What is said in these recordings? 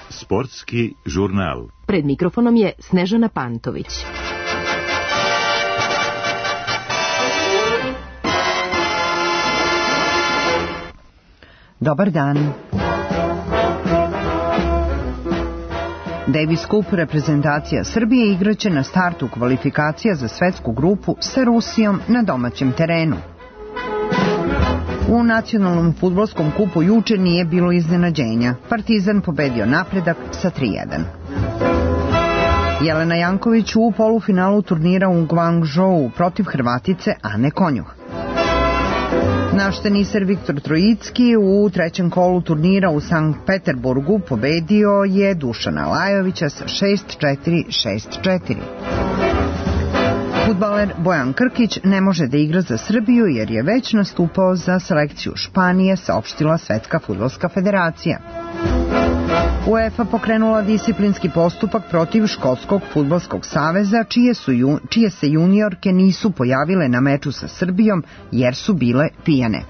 Sportski žurnal. Pred mikrofonom je Snežana Pantović. Dobar dan. Davis Cup reprezentacija Srbije igraće na startu kvalifikacija za svetsku grupu sa Rusijom na domaćem terenu. U nacionalnom fudbalskom kupu juče nije bilo iznenađenja. Partizan pobedio Napredak sa 3:1. Jelena Janković u polufinalu turnira u Guangzhou protiv Hrvatice Ane Konjuh. Naš teniser Viktor Trojicki u trećem kolu turnira u Sankt Peterburgu pobedio je Dušana Lajovića sa 6:4, 6:4. Fudbaler Bojan Krkić ne može da igra za Srbiju jer je već nastupao za selekciju Španije, saopštila Svetska fudbalska federacija. UEFA pokrenula disciplinski postupak protiv Škotskog fudbalskog saveza, čije se juniorke nisu pojavile na meču sa Srbijom jer su bile pijane.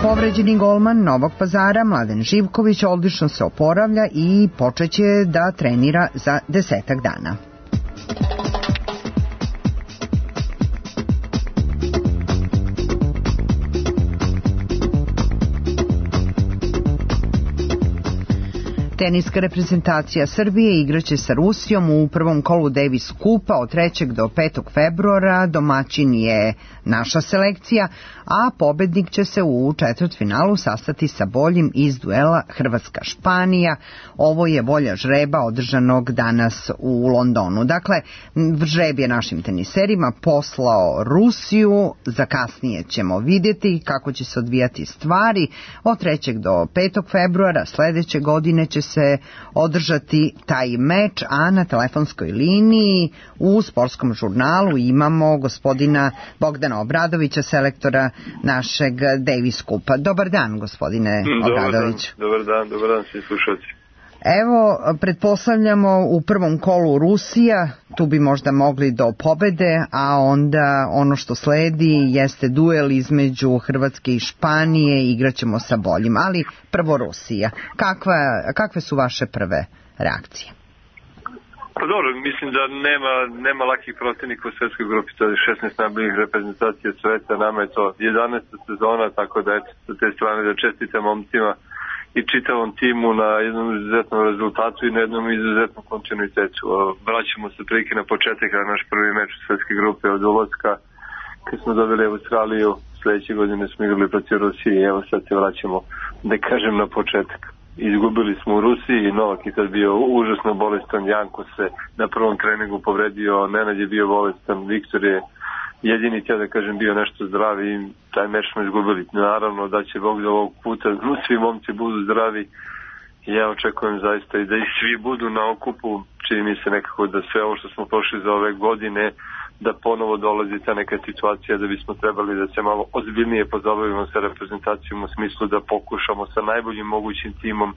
Povređeni golman Novog Pazara Mladen Živković odlično se oporavlja i počeće da trenira za 10 dana. Teniska reprezentacija Srbije igraće sa Rusijom u prvom kolu Davis Cupa od 3. do 5. februara. Domaćin je naša selekcija, a pobednik će se u četvrtfinalu sastati sa boljim iz duela Hrvatska-Španija. Ovo je volja žreba održanog danas u Londonu. Dakle, žreb je našim teniserima poslao Rusiju, za kasnije ćemo vidjeti kako će se odvijati stvari. Od 3. do 5. februara sledeće godine će se održati taj meč, a na telefonskoj liniji u sportskom žurnalu imamo gospodina Bogdana Obradovića, selektora našeg Davis Cupa. Dobar dan, gospodine Obradović. Dobar dan svi slušalci. Evo, pretpostavljamo u prvom kolu Rusija, tu bi možda mogli do pobede, a onda ono što sledi jeste duel između Hrvatske i Španije, igraćemo sa boljim, ali prvo Rusija. Kakve su vaše prve reakcije? Pa dobro, mislim da nema lakih protivnika u svetskoj grupi, to je 16 najboljih reprezentacija sveta, nama je to 11. sezona, tako da eto, sa te strane da čestitam momcima i čitavom timu na jednom izuzetnom rezultatu i na jednom izuzetnom kontinuitetu. Vraćamo se prilike na početak, na naš prvi meč u svetske grupe od ulaska, kad smo dobili Australiju, sledeće godine smo igrali protiv Rusije i evo sad se vraćamo, da kažem, na početak. Izgubili smo u Rusiji, Novak je tad bio užasno bolestan, Janko se na prvom treningu povredio, Nenad je bio bolestan, Viktor je jedini htio da kažem bio nešto zdravi i taj meč smo izgubili. Naravno da će Bog da ovog puta svi momci budu zdravi i ja očekujem zaista i da i svi budu na okupu. Čini mi se nekako da sve ovo što smo prošli za ove godine, da ponovo dolazi ta neka situacija da bismo trebali da se malo ozbiljnije pozabavimo sa reprezentacijom u smislu da pokušamo sa najboljim mogućim timom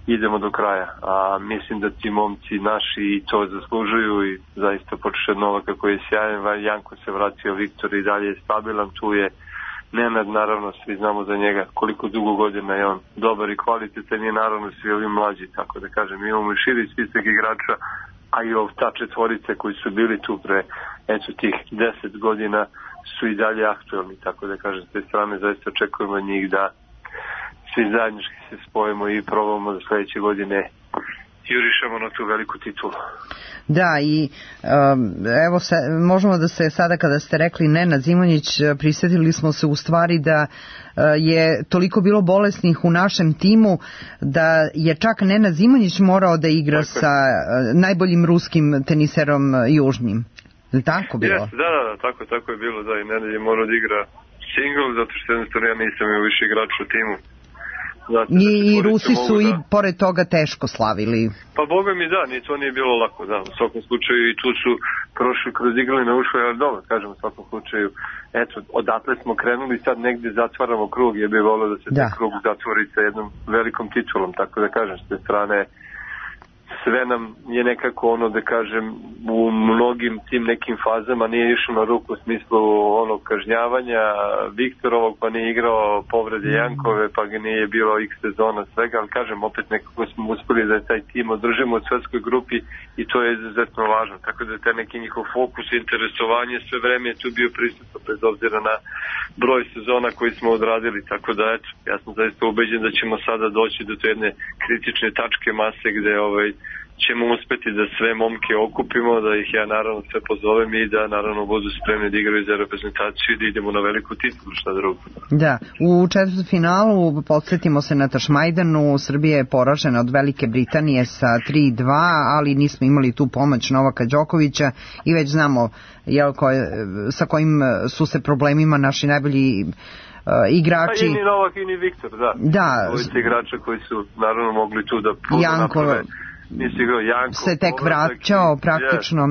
idemo do kraja. A mislim da ti momci naši to zaslužuju i zaista počeš od Novaka koji je sjajan, Janko se vratio, Viktor i dalje je stabilan, tu je Nenad, naravno svi znamo za njega koliko dugo godina je on dobar i kvalitetan i naravno svi ovi mlađi, tako da kažem, imamo i širi spisak igrača, a i ta četvorice koji su bili tu pre tih 10 godina su i dalje aktualni, tako da kažem, s te strane zaista očekujemo njih da svi zajednički se spojimo i probamo da sledeće godine jurišamo na tu veliku titulu. Da, i evo možemo da se sada kada ste rekli Nenad Zimonjić, prisjetili smo se u stvari da je toliko bilo bolesnih u našem timu da je čak Nenad Zimonjić morao da igra sa najboljim ruskim teniserom južnim. Je tako bilo? Yes, da, tako je bilo, da, i Nenad je morao da igra single, zato što jednostavno ja nisam imao više igrača u timu. I Rusi su i pored toga teško slavili. Pa boga mi da, to nije bilo lako, da, u svakom slučaju i tu su prošli kroz igrane ušle, ali dobro, kažem, u svakom slučaju, eto, odatle smo krenuli, sad negdje zatvaramo krug, ja bih volio da se taj krug zatvori sa jednom velikom titulom, tako da kažem, s te strane sve nam je nekako da kažem u mnogim tim nekim fazama nije išlo na ruku u smislu kažnjavanja Viktorovog, pa nije igrao povrede Jankove, pa ga nije bilo x sezona svega, ali kažem opet nekako smo uspeli da taj tim održimo u svetskoj grupi i to je izuzetno važno, tako da je taj neki njihov fokus i interesovanje sve vreme je tu bio prisutno bez obzira na broj sezona koji smo odradili, tako da eto, ja sam zaista ubeđen da ćemo sada doći do te jedne kritične tačke mase gde ćemo uspeti da sve momke okupimo, da ih ja naravno sve pozovem i da naravno budu spremni da igraju za reprezentaciju i da idemo na veliku titulu, šta drugo. Da, u četvrtfinalu podsjetimo se na Tašmajdanu, Srbija je poražena od Velike Britanije sa 3-2, ali nismo imali tu pomoć Novaka Đokovića i već znamo sa kojim su se problemima naši najbolji igrači. Pa i ni Novak i ni Viktor, da. Ovi igrača koji su naravno mogli tu da naprave. Se tek vraćao praktično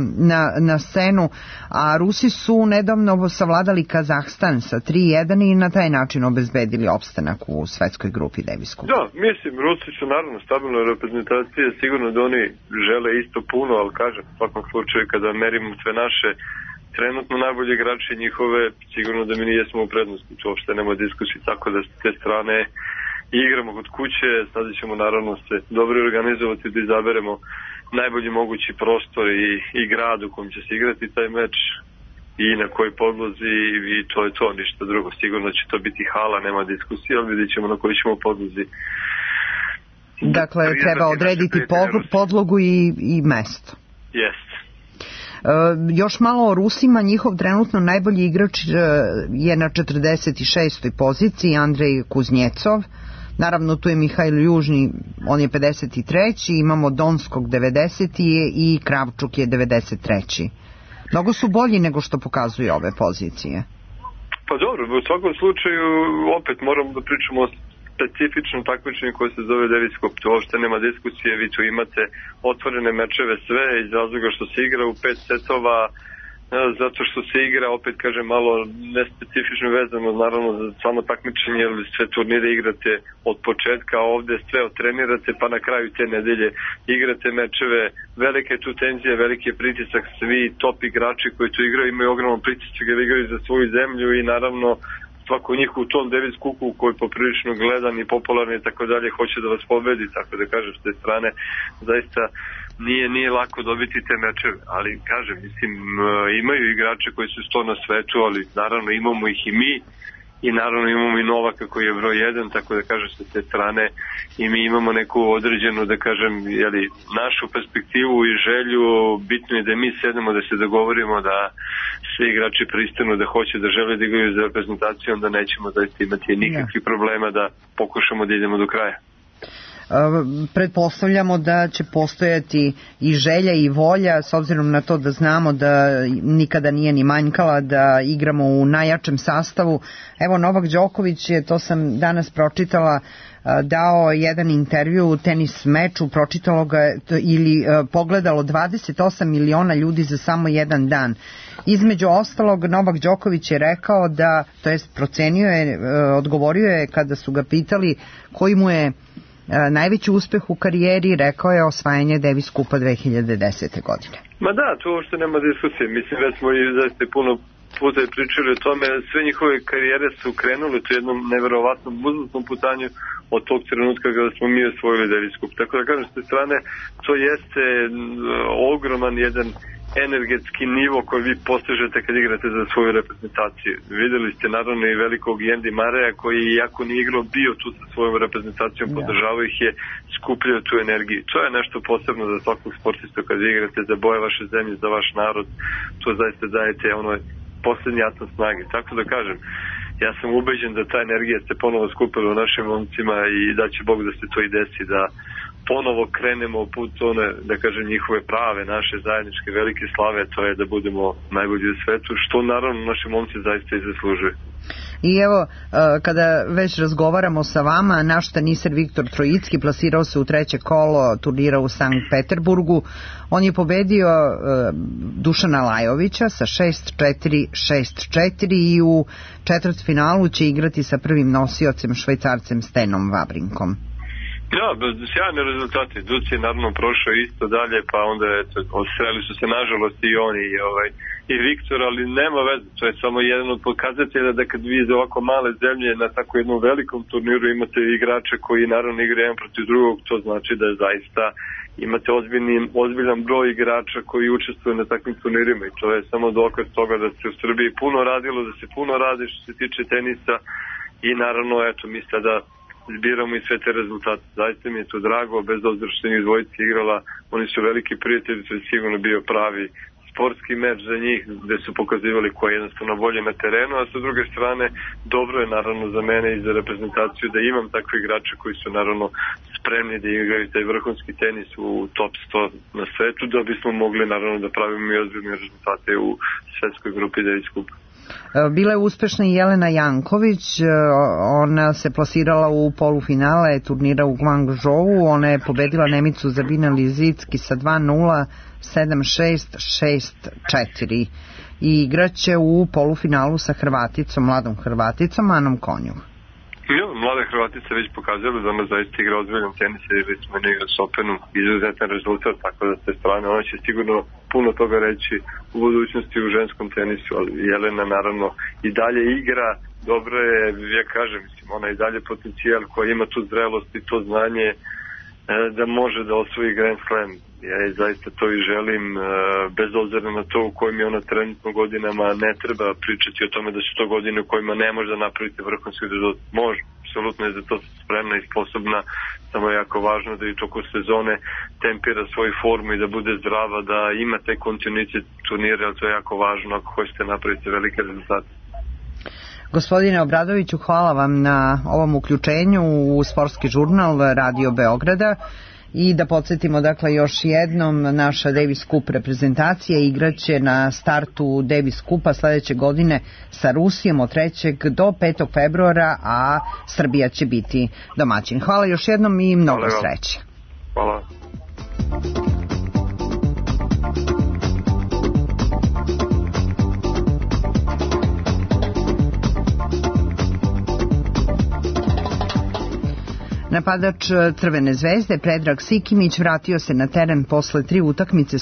na scenu, a Rusi su nedavno savladali Kazahstan sa 3-1 i na taj način obezbedili opstanak u svetskoj grupi Davis Cup. Da, mislim, Rusi su naravno stabilna reprezentacija, sigurno da oni žele isto puno, ali kažem, u svakom slučaju kada merimo sve naše trenutno najbolji igrači njihove, sigurno da mi nijesmo u prednosti, to uopšte nema diskusije, tako da s te strane igramo kod kuće, sada ćemo naravno se dobro organizovati da izaberemo najbolji mogući prostor i grad u kojem će se igrati taj meč i na kojoj podlozi i to je to, ništa drugo. Sigurno će to biti hala, nema diskusije, ali vidjet ćemo na kojoj ćemo podlozi. Dakle, treba odrediti podlogu i mesto. Jest. Još malo o Rusima, njihov trenutno najbolji igrač je na 46. poziciji, Andrej Kuznjecov. Naravno, tu je Mihajl Južni, on je 53. Imamo Donskog 90. i Kravčuk je 93. Mnogo su bolji nego što pokazuju ove pozicije. Pa dobro, u svakom slučaju opet moramo da pričamo o specifičnom takmičenju koje se zove Davis Cup. To uopšte nema diskusije, vi tu imate otvorene mečeve sve iz razloga što se igra u 5 setova, zato što se igra, opet kažem, malo nespecifično vezano naravno za samo takmičenje, jer sve turnire igrate od početka, a ovde sve otrenirate, pa na kraju te nedelje igrate mečeve, velike tu tenzije, veliki pritisak, svi top igrači koji tu igraju imaju ogroman pritisak jer igraju za svoju zemlju i naravno svako njih u tom Davis Cupu koji je poprilično gledan i popularan i tako dalje hoće da vas pobedi, tako da kažem s te strane zaista nije lako dobiti te mečeve, ali kažem, mislim, imaju igrače koji su sto na svetu, ali naravno imamo ih i mi i naravno imamo i Novaka koji je broj 1, tako da kažem s te strane i mi imamo neku određenu, da kažem, našu perspektivu i želju, bitno je da mi sedemo da se dogovorimo da svi igrači pristanu da hoće da žele da igraju za reprezentaciju, onda nećemo zaista imati nikakvih problema da pokušamo da idemo do kraja. Pretpostavljamo da će postojati i želja i volja, s obzirom na to da znamo da nikada nije ni manjkala da igramo u najjačem sastavu. Evo, Novak Đoković je, to sam danas pročitala, dao jedan intervju u tenis meču, pročitalo ga ili pogledalo 28 miliona ljudi za samo jedan dan. Između ostalog, Novak Đoković je rekao da, to jest procenio je, odgovorio je kada su ga pitali koji mu je najveći uspeh u karijeri, rekao je osvajanje Davis Cupa 2010. godine. Ma da, to uopšte nema diskusije. Mislim, već smo i zaista puno puta i pričali o tome. Sve njihove karijere su krenule u jednom neverovatnom uzlaznom putanju od tog trenutka kada smo mi osvojili Davis Cup. Tako da kažem, s te strane, to jeste ogroman jedan energetski nivo koji vi postižete kad igrate za svoju reprezentaciju. Videli ste naravno i velikog Jendi Mareja koji, iako nije igrao, bio tu sa svojom reprezentacijom, podržavao ih je, skupljao tu energiju. To je nešto posebno za svakog sportista kad igrate za boje vaše zemlje, za vaš narod. To zaista dajete poslednji atom snage. Tako da kažem, ja sam ubeđen da ta energija se ponovo skupila u našim momcima i da će Bog da se to i desi, da ponovo krenemo u put one, da kažem, njihove prave, naše zajedničke velike slave, to je da budemo najbolji u svetu, što naravno naši momci zaista i zaslužuju. I evo, kada već razgovaramo sa vama, naš teniser Viktor Trojicki plasirao se u treće kolo turnira u Sankt Peterburgu. On je pobedio Dušana Lajovića sa 6-4, 6-4 i u četvrtfinalu će igrati sa prvim nosiocem Švajcarcem Stenom Wawrinkom. Ja, sjajne rezultate. Duc je naravno prošao isto dalje, pa onda sreli su se nažalost i oni i Viktor, ali nema veze. To je samo jedan od pokazatelja da kad vi iz ovako male zemlje na tako jednom velikom turniru imate igrače koji naravno igraju jedan protiv drugog, to znači da zaista imate ozbiljan broj igrača koji učestvuju na takvim turnirima i to je samo dokaz toga da se u Srbiji puno radilo, da se puno radi što se tiče tenisa i naravno mi sada zbiramo i sve te rezultate. Zaista mi je to drago, bez obzira što njih dvojica igrala, oni su veliki prijatelji, to je sigurno bio pravi sportski meč za njih, gde su pokazivali ko je jednostavno bolje na terenu, a sa druge strane dobro je naravno za mene i za reprezentaciju da imam takve igrače koji su naravno spremni da igraju taj vrhunski tenis u top 100 na svetu, da bismo mogli naravno da pravimo i ozbiljne rezultate u svetskoj grupi Davis Cupa. Bila je uspešna i Jelena Janković, ona se plasirala u polufinale turnira u Guangzhou, ona je pobedila Nemicu Zabina Lizicki sa 2-0, 7-6, 6-4 i igraće u polufinalu sa Hrvaticom, mladom Hrvaticom Anom Konjuh. Ja, mlada Hrvatica već pokazala da ona zaista igra ozbiljan tenis, jer smo igra s Openom, izuzetan rezultat, tako da s te strane ona će sigurno puno toga reći u budućnosti u ženskom tenisu, ali Jelena naravno i dalje igra, dobro je, ja kažem, ona je i dalje potencijal koja ima tu zrelost i to znanje da može da osvoji Grand Slam. Ja zaista to i želim, bez obzira na to u kojim je ona trenutno godinama, ne treba pričati o tome da su to godine u kojima ne može da napraviti vrhunski rezultat. Može, apsolutno je za to spremna i sposobna, samo je jako važno da i toko sezone tempira svoju formu i da bude zdrava, da ima taj kontinuitet turnira, ali to je jako važno ako hoćete napraviti velike rezultate. Gospodine Obradoviću, hvala vam na ovom uključenju u sportski žurnal Radio Beograda. I da podsjetimo dakle još jednom, naša Davis Cup reprezentacija igraće na startu Davis Cupa sledeće godine sa Rusijom od 3. do 5. februara, a Srbija će biti domaćin. Hvala još jednom i mnogo sreće. Hvala. Napadač Crvene zvezde Predrag Sikimić vratio se na teren posle 3 utakmice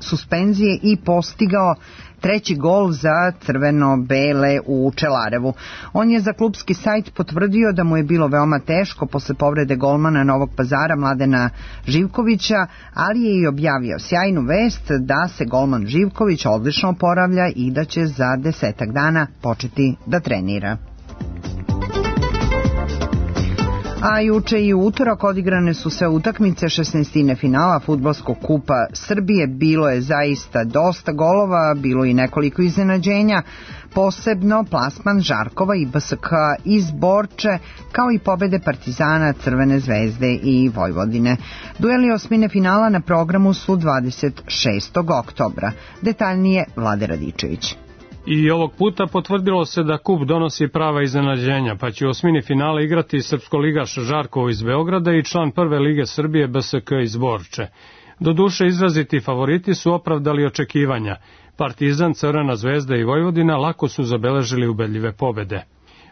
suspenzije i postigao treći gol za crveno-bele u Čelarevu. On je za klubski sajt potvrdio da mu je bilo veoma teško posle povrede golmana Novog Pazara Mladena Živkovića, ali je i objavio sjajnu vest da se golman Živković odlično oporavlja i da će za 10 dana početi da trenira. A juče i u utorak odigrane su sve utakmice 16. finala Fudbalskog kupa Srbije. Bilo je zaista dosta golova, bilo i nekoliko iznenađenja, posebno plasman Žarkova i BSK iz Borče, kao i pobede Partizana, Crvene zvezde i Vojvodine. Dueli osmine finala na programu su 26. oktobra. Detaljnije Vlade Radičević. I ovog puta potvrdilo se da kup donosi prava iznenađenja, pa će u osmini finala igrati srpskoligaš Žarkovo iz Beograda i član prve lige Srbije BSK iz Borče. Doduše izraziti favoriti su opravdali očekivanja. Partizan, Crvena zvezda i Vojvodina lako su zabeležili ubedljive pobede.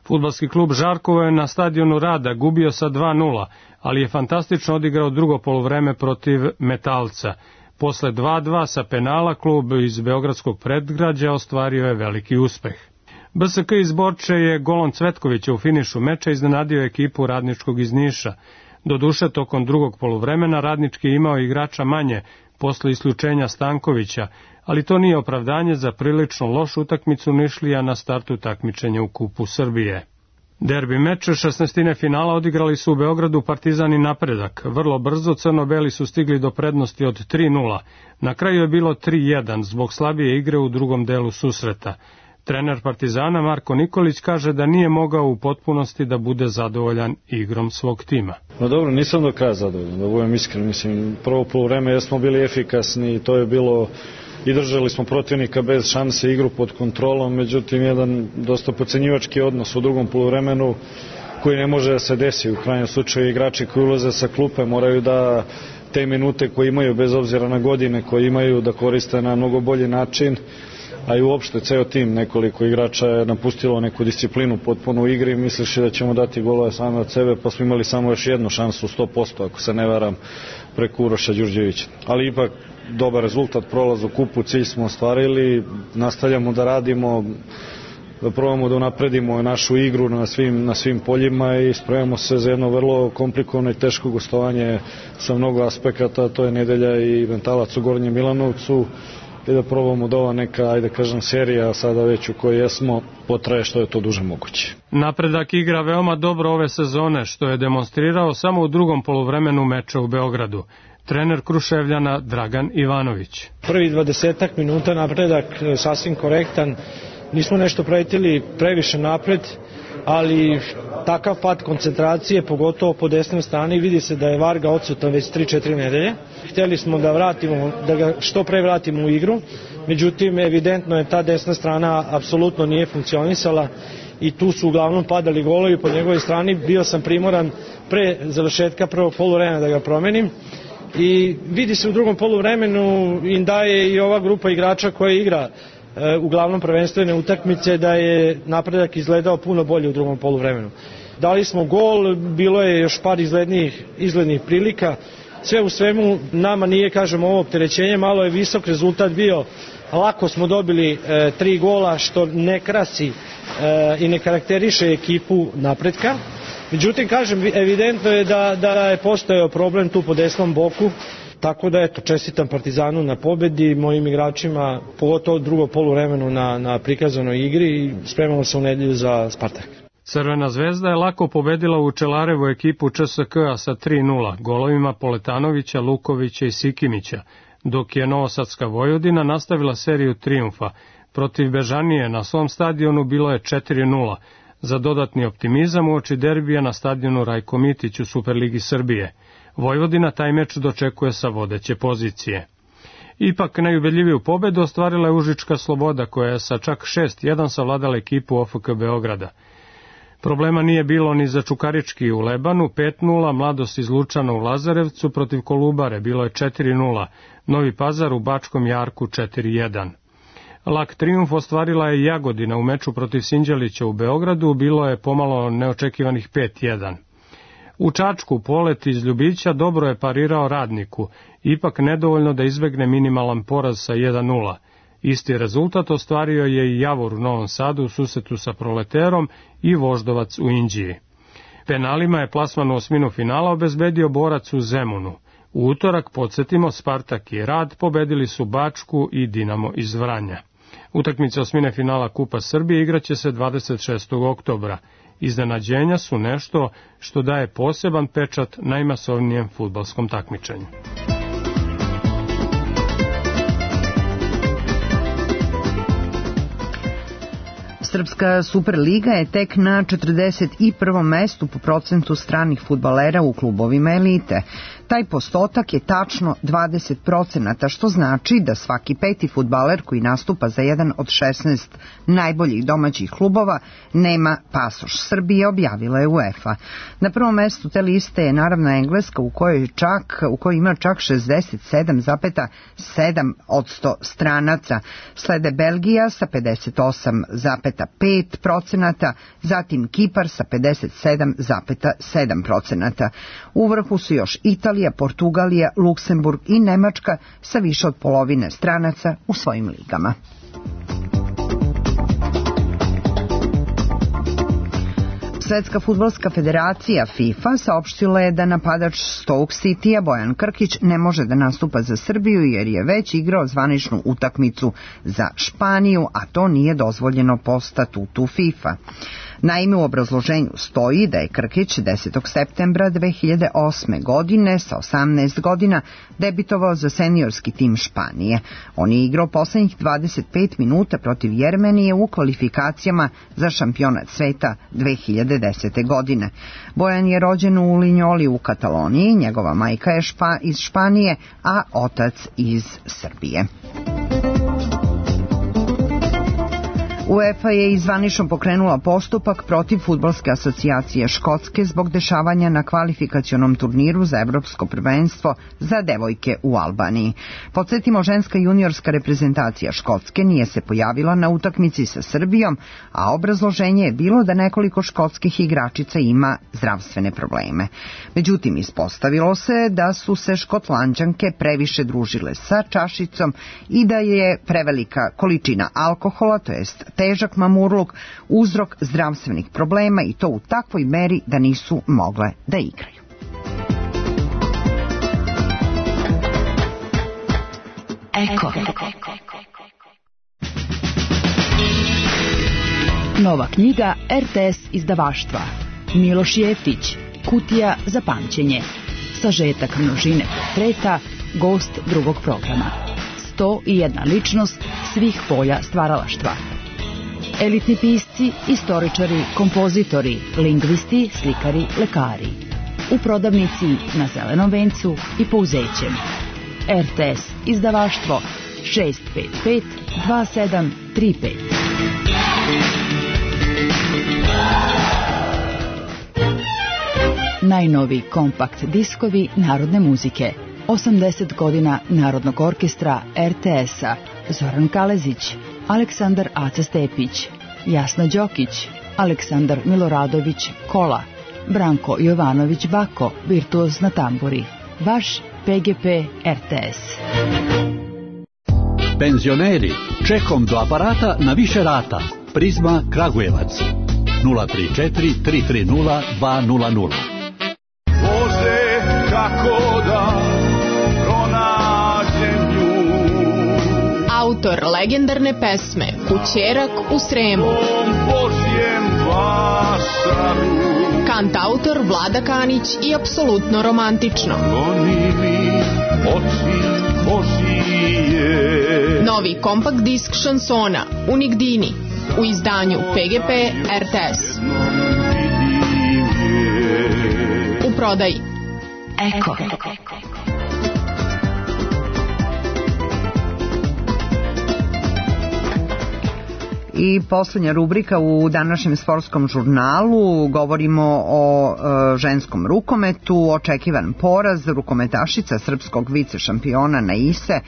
Fudbalski klub Žarkovo je na stadionu Rada gubio sa 2-0, ali je fantastično odigrao drugo poluvreme protiv Metalca. Posle 2-2 sa penala klub iz beogradskog predgrađa ostvario je veliki uspeh. BSK iz Borče je golom Cvetkovića u finišu meča iznenadio ekipu Radničkog iz Niša. Doduše, tokom drugog poluvremena Radnički je imao igrača manje posle isključenja Stankovića, ali to nije opravdanje za prilično lošu utakmicu Nišlija na startu takmičenja u Kupu Srbije. Derbi meč 16. finala odigrali su u Beogradu Partizan i Napredak. Vrlo brzo crno-beli su stigli do prednosti od 3-0. Na kraju je bilo 3-1 zbog slabije igre u drugom delu susreta. Trener Partizana Marko Nikolić kaže da nije mogao u potpunosti da bude zadovoljan igrom svog tima. No dobro, nisam do kraja zadovoljan, da budem iskren. Mislim, prvo poluvreme jesmo bili efikasni i to je bilo i držali smo protivnika bez šanse, igru pod kontrolom, međutim jedan dosta podcenjivački odnos u drugom poluvremenu koji ne može da se desi. U krajnjem slučaju igrači koji ulaze sa klupe moraju da te minute koje imaju, bez obzira na godine koje imaju, da koriste na mnogo bolji način, a i uopšte ceo tim, nekoliko igrača je napustilo neku disciplinu potpuno u igri, misleći da ćemo dati golove same od sebe, pa smo imali samo još jednu šansu 100%, ako se ne varam, preko Uroša Đurđevića. Ali ipak dobar rezultat, prolaz u kupu, cilj smo ostvarili, nastavljamo da radimo, da probamo da unapredimo našu igru na svim poljima i spremamo se za jedno vrlo komplikovano i teško gostovanje sa mnogo aspekata, to je nedelja i Mentalac u Gornjem Milanovcu, i da probamo da ova neka, ajde kažem, serija sada već u kojoj jesmo potraje što je to duže moguće. Napredak igra veoma dobro ove sezone, što je demonstrirao samo u drugom poluvremenu meča u Beogradu. Trener Kruševljana Dragan Ivanović. Prvi 20 minuta napredak sasvim korektan, nismo nešto pretili previše napred, ali takav pad koncentracije, pogotovo po desnoj strani, vidi se da je Varga odsutan već 3-4 nedelje. Htjeli smo da ga što pre vratimo u igru, međutim evidentno je ta desna strana apsolutno nije funkcionisala i tu su uglavnom padali golovi po njegovoj strani. Bio sam primoran pre završetka prvog poluvremena da ga promenim i vidi se u drugom poluvremenu im daje i ova grupa igrača koja igra uglavnom prvenstvene utakmice da je napredak izgledao puno bolje u drugom poluvremenu. Dali smo gol, bilo je još par izglednih prilika. Sve u svemu nama nije, kažem, ovo opterećenje, malo je visok rezultat bio. Lako smo dobili 3 gola što ne krasi i ne karakteriše ekipu napretka. Međutim, kažem, evidentno je da je postojao problem tu po desnom boku. Tako da, eto, čestitam Partizanu na pobedi, mojim igračima, pogotovo drugo poluvremenu na prikazanoj igri i spremamo se u nedelju za Spartak. Crvena zvezda je lako pobedila u Čelarevu ekipu ČSK-a sa 3-0, golovima Poletanovića, Lukovića i Sikimića, dok je Novosadska Vojvodina nastavila seriju trijumfa. Protiv Bežanije na svom stadionu bilo je 4-0, za dodatni optimizam uoči derbija na stadionu Rajko Mitić u Superligi Srbije. Vojvodina taj meč dočekuje sa vodeće pozicije. Ipak najubedljiviju pobedu ostvarila je Užička Sloboda, koja je sa čak 6-1 savladala ekipu OFK Beograda. Problema nije bilo ni za Čukarički u Lebanu, 5-0, Mladost iz Lučana u Lazarevcu protiv Kolubare, bilo je 4-0, Novi Pazar u Bačkom Jarku 4-1. Lak trijumf ostvarila je Jagodina u meču protiv Sinđelića u Beogradu, bilo je pomalo neočekivanih 5-1. U Čačku Polet iz Ljubića dobro je parirao Radniku, ipak nedovoljno da izbegne minimalan poraz sa 1-0. Isti rezultat ostvario je i Javor u Novom Sadu u susretu sa Proleterom i Voždovac u Inđiji. Penalima je plasman u osminu finala obezbedio Borac u Zemunu. U utorak, podsjetimo, Spartak i Rad pobedili su Bačku i Dinamo iz Vranja. Utakmice osmine finala Kupa Srbije igraće se 26. oktobra. Iznenađenja su nešto što daje poseban pečat najmasovnijem fudbalskom takmičenju. Srpska Superliga je tek na 41. mestu po procentu stranih fudbalera u klubovima elite. Taj postotak je tačno 20%, što znači da svaki peti fudbaler koji nastupa za jedan od 16 najboljih domaćih klubova nema pasoš Srbije, objavila je UEFA. Na prvom mestu te liste je naravno Engleska u kojoj ima čak 67,7% stranaca. Slede Belgija sa 58,5%, zatim Kipar sa 57,7%. U vrhu su još Italija, Portugalija, Luksemburg i Nemačka sa više od polovine stranaca u svojim ligama. Svetska fudbalska federacija FIFA saopštila je da napadač Stoke Citya Bojan Krkić ne može da nastupa za Srbiju jer je već igrao zvaničnu utakmicu za Španiju, a to nije dozvoljeno po statutu FIFA. Naime, u obrazloženju stoji da je Krkić 10. septembra 2008. godine sa 18 godina debitovao za seniorski tim Španije. On je igrao poslednjih 25 minuta protiv Jermenije u kvalifikacijama za šampionat sveta 2010. godine. Bojan je rođen u Linjoli u Kataloniji, njegova majka je iz Španije, a otac iz Srbije. UEFA je zvanično pokrenula postupak protiv Fudbalske asocijacije Škotske zbog dešavanja na kvalifikacionom turniru za evropsko prvenstvo za devojke u Albaniji. Podsjetimo, ženska juniorska reprezentacija Škotske nije se pojavila na utakmici sa Srbijom, a obrazloženje je bilo da nekoliko škotskih igračica ima zdravstvene probleme. Međutim, ispostavilo se da su se Škotlanđanke previše družile sa čašicom i da je prevelika količina alkohola, to jest težak mamurluk, uzrok zdravstvenih problema i to u takvoj meri da nisu mogle da igraju. Eko. Nova knjiga RTS izdavaštva. Miloš Jeftić, Kutija za pamćenje. Sažetak množine portreta, gost drugog programa. 101 ličnost svih polja stvaralaštva. Elitni pisci, istoričari, kompozitori, lingvisti, slikari, lekari. U prodavnici na Zelenom vencu i Pouzećem. RTS izdavaštvo 655 2735. Najnovi kompakt diskovi narodne muzike. 80 godina Narodnog orkestra RTS-a. Zoran Kalezić, Aleksandar Aca Stepić, Jasna Đokić, Aleksandar Miloradović Kola, Branko Jovanović Bako, virtuoz na tamburi. Vaš PGP RTS. Penzioneri, čekom do aparata na više rata. Prizma Kragujevac 034 330 200. Bože, kako da pronađem nju. Autor legendarne pesme Kućerak u Sremu. Božjem vašaru. Kantautor Vlada Kanić i apsolutno romantično. Oni mi oči Božije. Novi kompakt disk šansona Unigdini u izdanju PGP RTS. U prodaji Eko. I posljednja rubrika u današnjem sportskom žurnalu. Govorimo o ženskom rukometu. Očekivan poraz rukometašica srpskog vice šampiona Naise,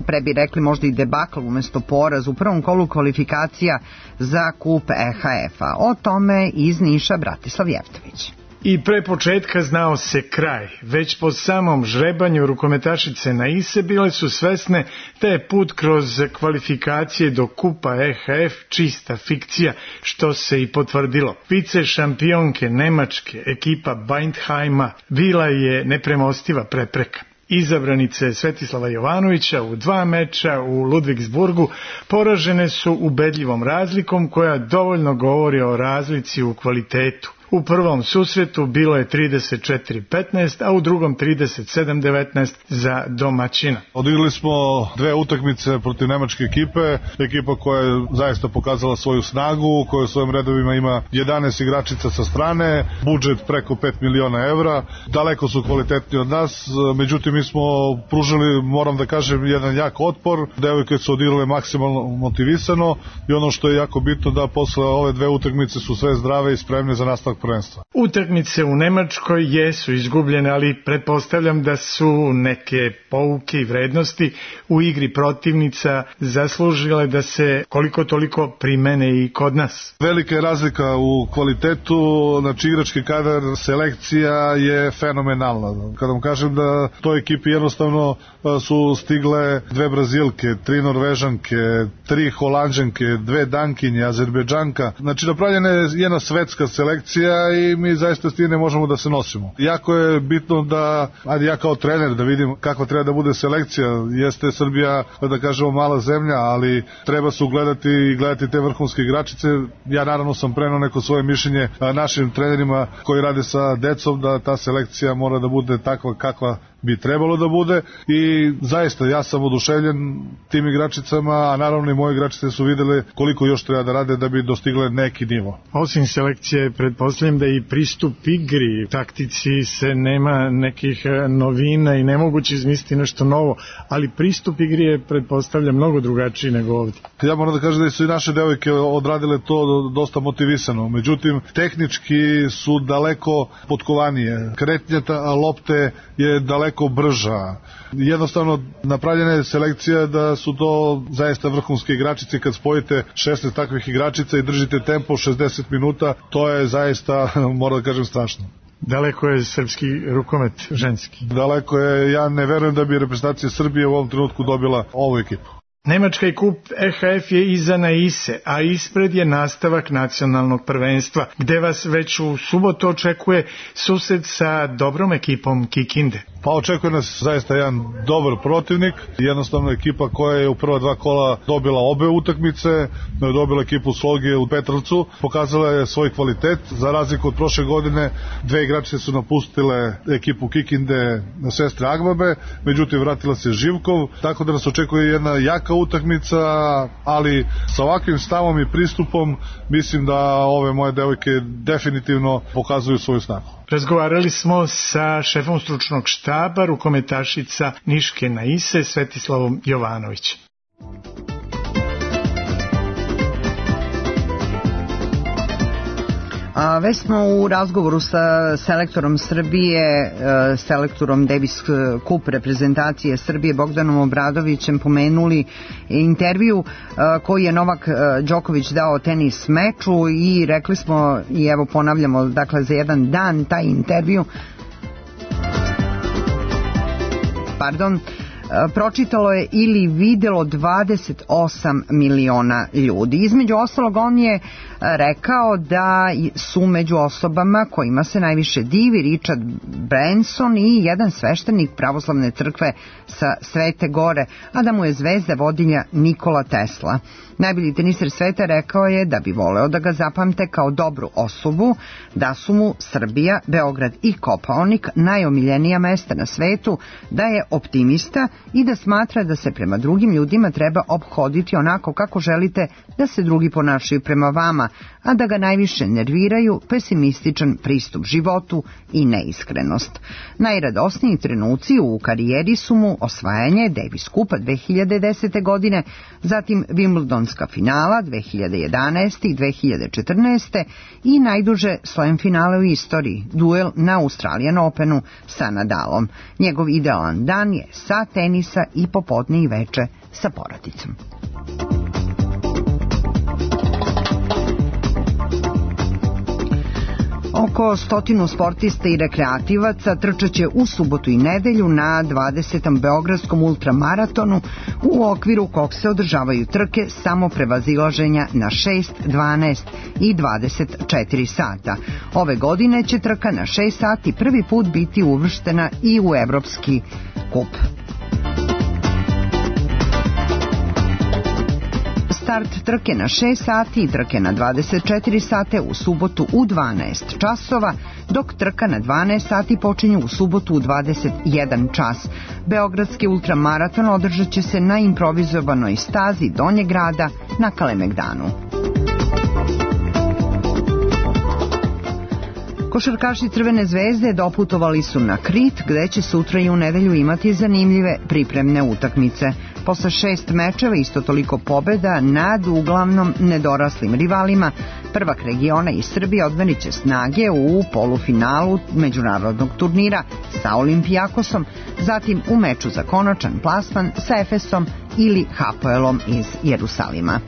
pre bi rekli možda i debakl umjesto poraz u prvom kolu kvalifikacija za kup EHF-a. O tome iz Niša Bratislav Jevtović. I pre početka znao se kraj. Već po samom žrebanju rukometašice Naise bile su svesne da je put kroz kvalifikacije do kupa EHF čista fikcija, što se i potvrdilo. Vice šampionke Nemačke ekipa Bindheima bila je nepremostiva prepreka. Izabranice Svetislava Jovanovića u 2 meča u Ludvigsburgu poražene su ubedljivom razlikom koja dovoljno govori o razlici u kvalitetu. U prvom susretu bilo je 34-15, a u drugom 37-19 za domaćina. Odigrali smo 2 utakmice protiv nemačke ekipe, ekipa koja je zaista pokazala svoju snagu, koja u svojim redovima ima 11 igračica sa strane, budžet preko 5 miliona evra, daleko su kvalitetni od nas, međutim mi smo pružili, moram da kažem, jedan jak otpor, devojke su odigrale maksimalno motivisano i ono što je jako bitno da posle ove 2 utakmice su sve zdrave i spremne za nastavak prvenstva. Utakmice u Nemačkoj jesu izgubljene, ali pretpostavljam da su neke pouke i vrednosti u igri protivnica zaslužile da se koliko toliko primene i kod nas. Velika je razlika u kvalitetu, znači igrački kadar, selekcija je fenomenalna. Kada vam kažem da toj ekipi jednostavno su stigle 2 Brazilke, 3 Norvežanke, 3 Holanđanke, 2 Dankinje, Azerbejdžanka, znači napravljena je jedna svetska selekcija i mi zaista s tim ne možemo da se nosimo. Jako je bitno da, ajde ja kao trener da vidim kakva treba da bude selekcija. Jeste Srbija, da kažemo, mala zemlja, ali treba se ugledati i gledati te vrhunske igračice. Ja naravno sam preneo neko svoje mišljenje našim trenerima koji rade sa decom da ta selekcija mora da bude takva kakva bi trebalo da bude i zaista ja sam oduševljen tim igračicama, a naravno i moje igračice su videle koliko još treba da rade da bi dostigle neki nivo. Osim selekcije, pretpostavljam da i pristup igri, taktici se nema nekih novina i nemoguće izmisliti nešto novo, ali pristup igri je, pretpostavljam, mnogo drugačiji nego ovdje. Ja moram da kažem da su i naše devojke odradile to dosta motivisano, međutim tehnički su daleko potkovanije, kretnja lopte je daleko brža. Jednostavno napravljena je selekcija da su to zaista vrhunske igračice. Kad spojite 16 takvih igračica i držite tempo 60 minuta, to je zaista, moram da kažem, strašno. Daleko je srpski rukomet ženski. Daleko je, ja ne verujem da bi reprezentacija Srbije u ovom trenutku dobila ovu ekipu. Nemački kup EHF je iza Naise, a ispred je nastavak nacionalnog prvenstva, gde vas već u subotu očekuje susret sa dobrom ekipom Kikinde. Pa očekuje nas zaista jedan dobar protivnik, jednostavno ekipa koja je u prva dva kola dobila obe utakmice, dobila ekipu Sloge u Petrovcu, pokazala je svoj kvalitet, za razliku od prošle godine, dve igračice su napustile ekipu Kikinde na sestre Agbabe, međutim vratila se Živkov, tako da nas očekuje jedna jaka utakmica, ali sa ovakvim stavom i pristupom mislim da ove moje devojke definitivno pokazuju svoju snagu. Razgovarali smo sa šefom stručnog štaba, rukometašica Niške Naise, Svetislavom Jovanovićem. Već smo u razgovoru sa selektorom Srbije, selektorom Davis Cup reprezentacije Srbije Bogdanom Obradovićem pomenuli intervju koji je Novak Đoković dao tenis meču i rekli smo, i evo ponavljamo, dakle za jedan dan taj intervju, pročitalo je ili videlo 28 miliona ljudi. Između ostalog, on je rekao da su među osobama kojima se najviše divi Richard Branson i jedan sveštenik pravoslavne crkve sa Svete Gore, a da mu je zvezda vodilja Nikola Tesla. Najbolji teniser sveta rekao je da bi voleo da ga zapamte kao dobru osobu, da su mu Srbija, Beograd i Kopaonik najomiljenija mesta na svetu, da je optimista i da smatra da se prema drugim ljudima treba ophoditi onako kako želite da se drugi ponašaju prema vama, a da ga najviše nerviraju pesimističan pristup životu i neiskrenost. Najradosniji trenuci u karijeri su mu osvajanje Davis Cupa 2010. godine, zatim Wimbledonska finala 2011. i 2014. i najduže slam finale u istoriji, duel na Australian Openu sa Nadalom. Njegov idealan dan je sat tenisa i popodne i veče sa porodicom. Oko 100 sportista i rekreativaca trčaće u subotu i nedelju na 20. Beogradskom ultramaratonu u okviru kog se održavaju trke samoprevazilaženja na 6, 12 i 24 sata. Ove godine će trka na 6 sati prvi put biti uvrštena i u Evropski kup. Start trke na 6 sati i trke na 24 sate u subotu u 12 časova, dok trka na 12 sati počinju u subotu u 21 čas. Beogradski ultramaraton održat će se na improvizovanoj stazi Donjeg grada na Kalemegdanu. Košarkaši Crvene zvezde doputovali su na Krit, gde će sutra i u nedelju imati zanimljive pripremne utakmice. Posle 6 mečeva, isto toliko pobjeda nad uglavnom nedoraslim rivalima, prvak regiona iz Srbije odmeriće će snage u polufinalu međunarodnog turnira sa Olimpijakosom, zatim u meču za konačan plasman sa Efesom ili Hapoelom iz Jerusalima.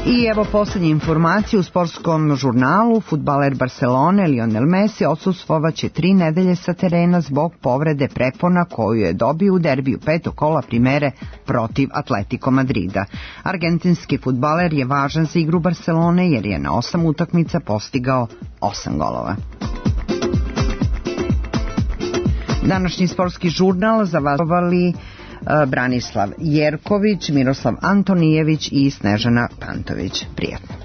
I evo posljednje informacije u sportskom žurnalu. Fudbaler Barcelone Lionel Messi odsustvovaće 3 nedelje sa terena zbog povrede prepona koju je dobio u derbiju 5. kola primere protiv Atletico Madrida. Argentinski fudbaler je važan za igru Barcelone jer je na 8 utakmica postigao 8 golova. Današnji sportski žurnal zavazovali Branislav Jerković, Miroslav Antonijević i Snežana Pantović. Prijatno.